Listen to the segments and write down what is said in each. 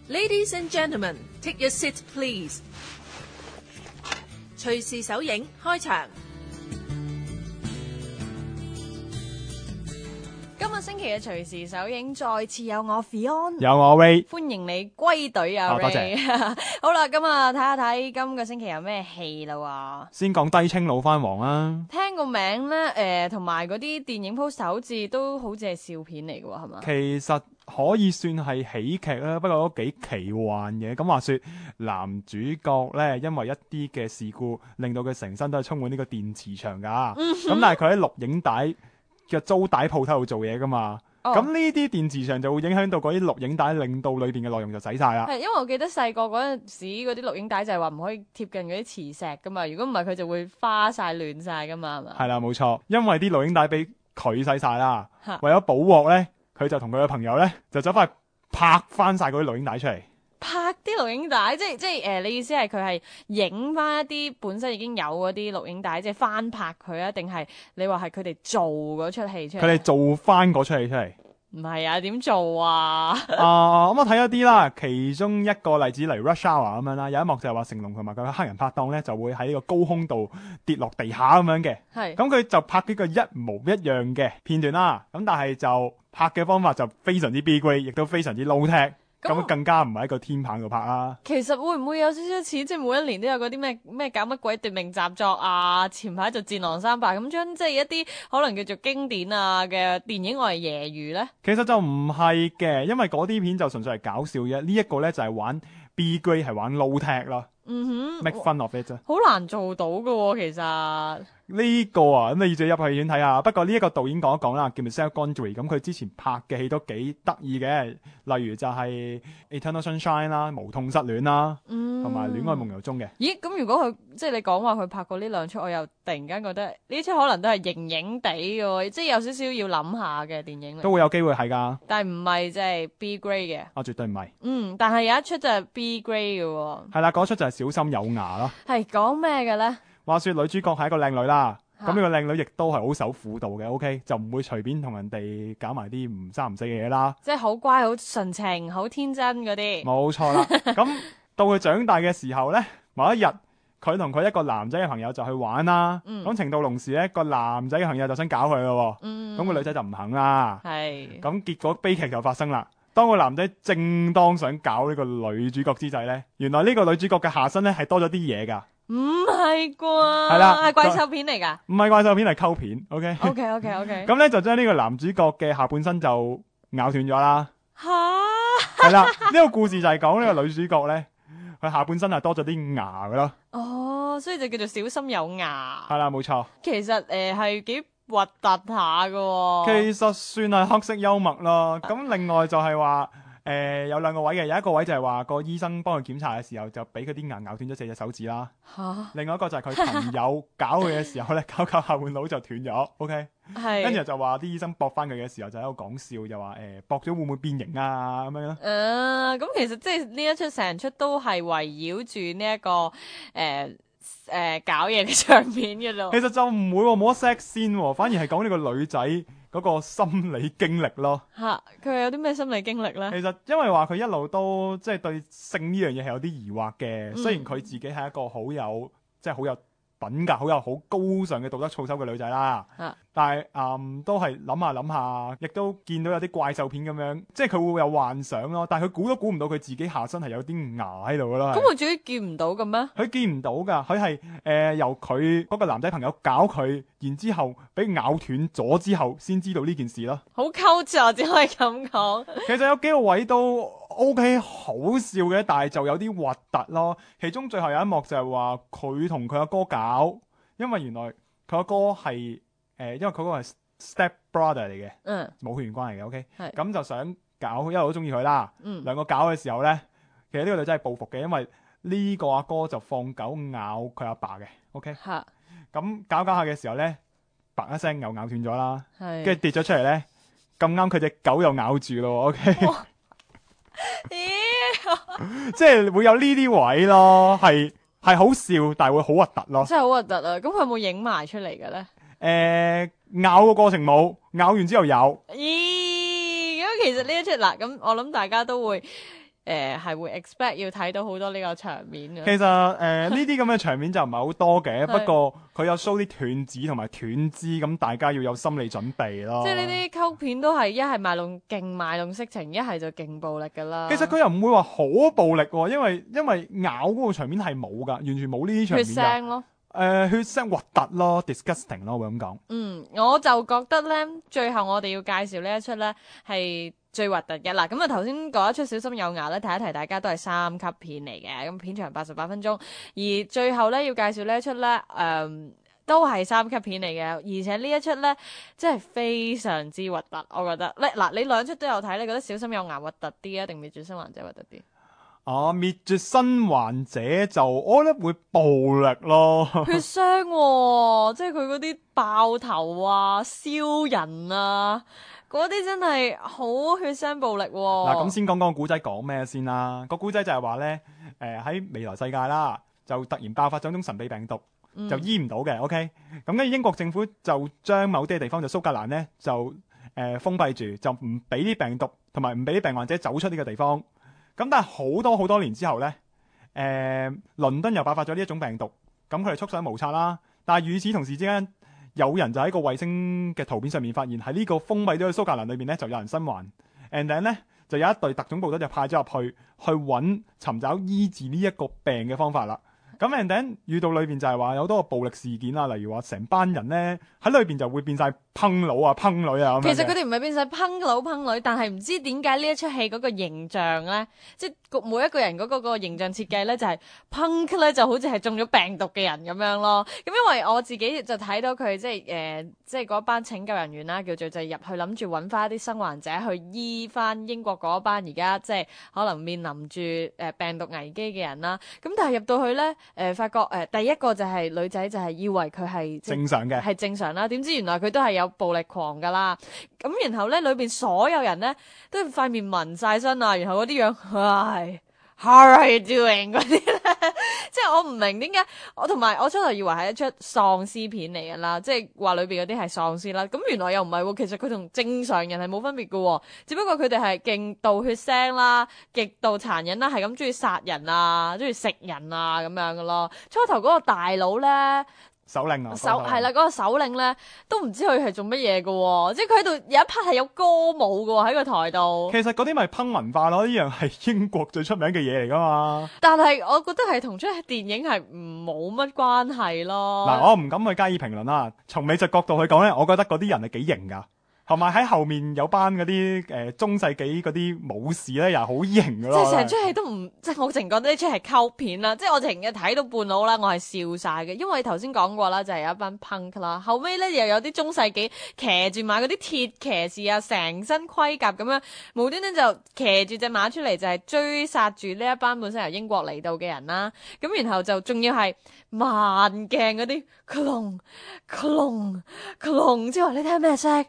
Ladies and gentlemen, take your seat, please. 隨時首映開場。今個星期嘅隨時首映再次有我 Fion， 有我 Ray， 歡迎你歸隊啊 Ray。多謝。好啦，咁啊睇下今個星期有咩戲啦喎。先講低清老番王啦。聽個名咧，同埋嗰啲電影 poster 好似都好似係笑片嚟嘅喎，係嘛？其實可以算係喜劇啦，不過都幾奇幻嘅。咁話說男主角咧，因為一啲嘅事故，令到佢成身都係充滿呢個電磁場㗎。咁但係佢喺錄影帶嘅租帶鋪頭度做嘢㗎嘛。咁呢啲電磁場就會影響到嗰啲錄影帶，令到裏邊嘅內容就洗晒啦。係因為我記得細個嗰陣時嗰啲錄影帶就係話唔可以貼近嗰啲磁石㗎嘛，如果唔係佢就會花晒亂晒㗎嘛，係嘛？係啦，冇錯，因為啲錄影帶俾佢洗晒啦，為咗補鑊咧，佢就同佢嘅朋友咧就走翻去拍翻晒嗰啲錄影帶出嚟。拍啲錄影帶，即係你意思係佢係影翻一啲本身已經有嗰啲錄影帶，即係翻拍佢啊？定係你話係佢哋做嗰出戲出嚟？佢哋做翻嗰出戲出嚟。唔係啊，點做啊？咁我睇咗啲啦，其中一個例子嚟 Rush Hour 咁樣啦，有一幕就係話成龍同埋佢嘅黑人拍檔咧就會喺呢個高空度跌落地下咁樣嘅。係。咁佢就拍呢個一模一樣嘅片段啦。咁但係就拍嘅方法就非常之 B grade， 亦都非常之 low tech。咁更加唔係喺個天棚度拍啦。其實會唔會有少少似，即係每一年都有嗰啲咩搞乜鬼奪命習作啊？前排就戰狼300咁將即係一啲可能叫做經典啊嘅電影我嚟揶揄咧。其實就唔係嘅，因為嗰啲片就純粹係搞笑啫。呢一個咧就係玩 B grade， 係玩 low tech 咯。make fun of it 啫。好難做到㗎喎，其實。呢個啊，咁你自己入戲院睇下。不過呢一個導演講一講啦，叫 Michel Gondry。咁佢之前拍嘅戲都幾得意嘅，例如就係 Eternal Sunshine 啦、無痛失戀啦，同埋戀愛夢遊中嘅。咦？咁如果佢即係你講話佢拍過呢兩出，我又突然間覺得呢出可能都係型型地嘅，即係有少少要諗下嘅電影嚟。都會有機會係㗎。但係唔係即係 B grade 嘅。絕對唔係。但係有一出就係 B grade 嘅喎。係啦，嗰出就係小心有牙咯。係講咩嘅咧？話說女主角係一個靚女啦，咁呢個靚女亦都係好守婦道嘅，OK， 就唔會隨便同人哋搞埋啲唔三唔四嘅嘢啦。即係好乖、好純情、好天真嗰啲。冇錯啦。咁到佢長大嘅時候呢，某一日佢同佢一個男仔嘅朋友就去玩啦。咁情到濃時呢，個男仔嘅朋友就想搞佢咯。咁個女仔就唔肯啦。係。咁結果悲劇就發生啦。當個男仔正當想搞呢個女主角之際呢，原來呢個女主角嘅下身呢係多咗啲嘢㗎。唔係啩？係啦，係怪獸片嚟噶？唔係怪獸片，係溝片。OK。咁咧就將呢個男主角嘅下半身就咬斷咗啦。係啦，呢個故事就係講呢個女主角咧，佢下半身係多咗啲牙噶咯。哦，所以就叫做小心有牙。係啦，冇錯。其實係幾核突下噶。其實算係黑色幽默咯。咁另外就係話。有兩個位嘅，有一個位就係話個醫生幫佢檢查嘅時候就俾佢啲牙咬斷咗4隻手指啦。另外一個就係佢朋友搞佢嘅時候咧，搞下半腦就斷咗。OK， 跟住就話啲醫生駁翻佢嘅時候就喺度講笑，就話駁咗會唔會變形啊咁樣咯。咁其實即係呢一出成出都係圍繞住呢一個搞嘢嘅場面嘅咯。其實就唔會冇得 sex 先，反而係講呢個女仔嗰個心理經歷咯。佢有啲咩心理經歷咧？其實因為話佢一路都即係對性呢樣嘢係有啲疑惑嘅。雖然佢自己係一個好有品格、好高尚嘅道德操守嘅女仔啦。但係都係諗下諗下，亦都見到有啲怪獸片咁樣，即係佢會有幻想咯。但係佢估都估唔到佢自己下身係有啲牙喺度噶咯。咁佢自己見唔到嘅咩？佢見唔到噶，佢係由佢嗰個男仔朋友搞佢，然之後俾咬斷咗之後，先知道呢件事咯。好溝錯，只可以咁講。其實有幾個位都 OK 好笑嘅，但係就有啲核突咯。其中最後有一幕就係話佢同佢阿哥搞，因為原來佢阿哥係因為佢嗰個係 step brother 嚟嘅，冇血緣關係嘅。OK， 咁就想搞，因為都中意佢啦。兩個搞嘅時候咧，其實呢個女仔係報復嘅，因為呢個阿哥就放狗咬佢阿爸嘅。OK， 咁搞下嘅時候咧，白一聲又咬斷咗啦，跟住跌咗出嚟咧，咁啱佢隻狗又咬住咯。OK。即係會有呢啲位咯，係好笑，但係會好核突咯。真係好核突啊！咁佢有冇影埋出嚟嘅咧？咬個過程冇，咬完之後有。咦？咁其實呢一出嗱，咁我諗大家都會係會 expect 要睇到好多呢個場面嘅。其實呢啲咁嘅場面就唔係好多嘅，不過佢有 show 啲斷指同埋斷肢，咁大家要有心理準備咯。即係呢啲溝片都係一係勁賣弄色情，一係就勁暴力㗎啦。其實佢又唔會話好暴力喎，因為咬嗰個場面係冇㗎，完全冇呢啲場面㗎。血腥咯。血腥核突咯 ，disgusting 咯，會咁講。我就覺得咧，最後我哋要介紹呢一出咧係最核突嘅啦。咁啊頭先嗰一出小心有牙咧，提一提大家都係3級片嚟嘅，咁片長88分鐘。而最後咧要介紹呢一出咧，都係3級片嚟嘅，而且呢一出咧真係非常之核突，我覺得。嗱，你兩出都有睇，你覺得小心有牙核突啲啊，定滅絕生還者核突啲？滅絕生還者就我覺得會暴力咯，血腥喎，即係佢嗰啲爆頭啊、燒人啊，嗰啲真係好血腥暴力喎。嗱，咁先講講個古仔講咩先啦。個古仔就係話咧，喺未來世界啦，就突然爆發咗一種神秘病毒，就醫唔到嘅。OK，咁跟住英國政府就將某啲地方就蘇格蘭咧就封閉住，就唔俾啲病毒同埋唔俾啲病患者走出呢個地方。咁但係好多年之後咧，倫敦又爆發咗呢一種病毒，咁佢哋束手無策啦。但係與此同時之間，有人就喺個衛星嘅圖片上面發現喺呢個封閉咗嘅蘇格蘭裏面咧，就有人生還。and then 咧就有一隊特種部隊就派咗入去尋找醫治呢一個病嘅方法啦。咁 and then 遇到裏邊就係話有好多個暴力事件啦，例如話成班人咧喺裏邊就會變晒烹佬啊、烹女啊咁樣。其實佢哋唔係變晒烹佬烹女，但係唔知點解呢一出戲嗰個形象咧，即係每一個人嗰個形象設計咧，就係 punk 咧就好似係中咗病毒嘅人咁樣咯。咁因為我自己就睇到佢即係嗰班拯救人員啦，叫做就入去諗住揾翻一啲生還者去醫翻英國嗰班而家即係可能面臨住病毒危機嘅人啦。咁但係入到去咧。發覺第一個就係女仔就係以為佢係正常嘅，係正常啦。點知原來佢都係有暴力狂噶啦。咁然後咧裏邊所有人咧都塊面紋晒身啊，然後嗰啲樣，唉 ，How are you doing 嗰啲咧，即係我唔明點解同埋我初頭以為係一出喪屍片嚟噶啦，即係話裏邊嗰啲係喪屍啦。咁原來又唔係喎，其實佢同正常人係冇分別嘅，只不過佢哋係勁度血腥啦，極度殘忍啦，係咁中意殺人啊，中意食人啊咁樣嘅咯。初頭嗰個大佬咧。首領啊，係啦，嗰個首領咧都唔知佢係做乜嘢嘅，即係佢喺度有一 part 係有歌舞嘅喺個台度。其實嗰啲咪烹文化咯，呢樣係英國最出名嘅嘢嚟噶嘛。但係我覺得係同出電影係冇乜關係咯。嗱，我唔敢去加以評論啦。從美術角度去講咧，我覺得嗰啲人係幾型噶。同埋喺後面有班嗰啲中世紀嗰啲武士咧，又好型噶咯。即係成出戲都唔，即係我淨覺得呢出係溝片啦。即係我成日睇到半路啦，我係笑晒嘅。因為頭先講過啦，就係有一班 punk 啦，後尾咧又有啲中世紀騎住馬嗰啲鐵騎士啊，成身盔甲咁樣，無端端就騎住隻馬出嚟，就係追殺住呢一班本身由英國嚟到嘅人啦。咁然後就仲要係慢鏡嗰啲，隆之後你聽咩聲？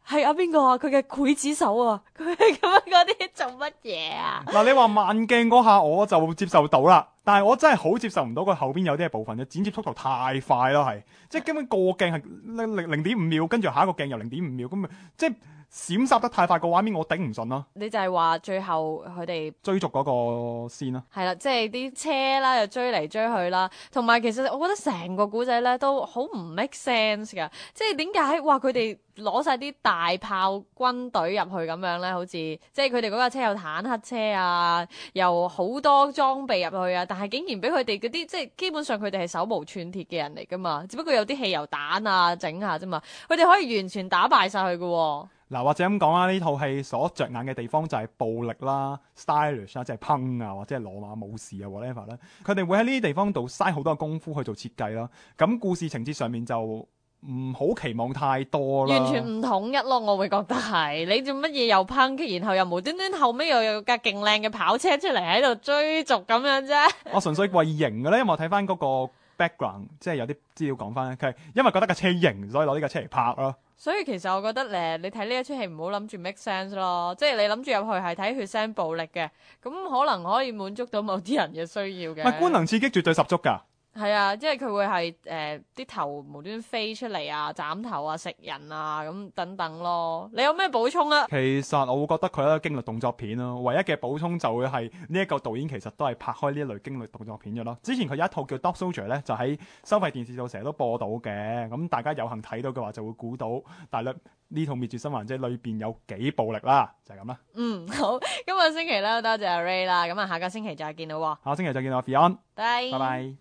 係阿邊個啊？佢嘅劊子手啊！佢咁樣嗰啲做乜嘢啊？嗱，你話慢鏡嗰下我就接受到啦，但係我真係好接受唔到佢後邊有啲嘅部分嘅剪接速度太快咯，係即係根本個鏡係0.5秒，跟住下一個鏡又0.5秒，咁即係閃殺得太快，個畫面我頂唔順咯。你就係話最後佢哋追逐嗰個先啦，係啦，即係啲車啦又追嚟追去啦，同埋其實我覺得成個古仔咧都好唔 make sense 噶，即係點解話佢哋攞晒啲大炮軍隊入去咁樣咧？好似即係佢哋嗰架車有坦克車啊，又好多裝備入去啊，但係竟然俾佢哋嗰啲即係基本上佢哋係手無寸鐵嘅人嚟噶嘛，只不過有啲汽油彈啊整下啫嘛，佢哋可以完全打敗晒佢噶。嗱，或者咁講啦，呢套戲所着眼嘅地方就係暴力啦、stylish 啦，即係烹啊，或者係羅馬武士啊 whatever 啦，佢哋會喺呢啲地方度嘥好多功夫去做設計啦。咁故事情節上面就唔好期望太多啦，完全唔統一咯，我會覺得係你做乜嘢又烹，然後又無端端後尾又有架勁靚嘅跑車出嚟喺度追逐咁樣啫。我純粹為型嘅咧，因為我睇翻嗰個 background， 即係有啲資料講翻咧，佢係因為覺得架車型，所以攞呢架車嚟拍咯。所以其實我覺得你睇呢一出戲唔好諗住 make sense 咯，即係你諗住入去係睇血腥暴力嘅，咁可能可以滿足到某啲人嘅需要嘅。唔係，觀能刺激絕對十足㗎。係啊，即係佢會係啲頭無端端飛出嚟啊，斬頭啊，食人啊咁等等咯。你有咩補充啊？其實我會覺得佢係一個驚慄動作片咯，唯一嘅補充就會係呢一個導演其實都係拍開呢一類驚慄動作片嘅咯。之前佢有一套叫 Dog Soldier 咧，就喺收費電視度成日都播到嘅，咁大家有幸睇到嘅話就會估到大約呢套滅絕生還者裏邊有幾暴力啦，就係咁啦。好，今個星期咧多謝阿 Ray 啦，咁啊下個星期再見咯喎，下個星期再見啦，Fion，拜拜拜。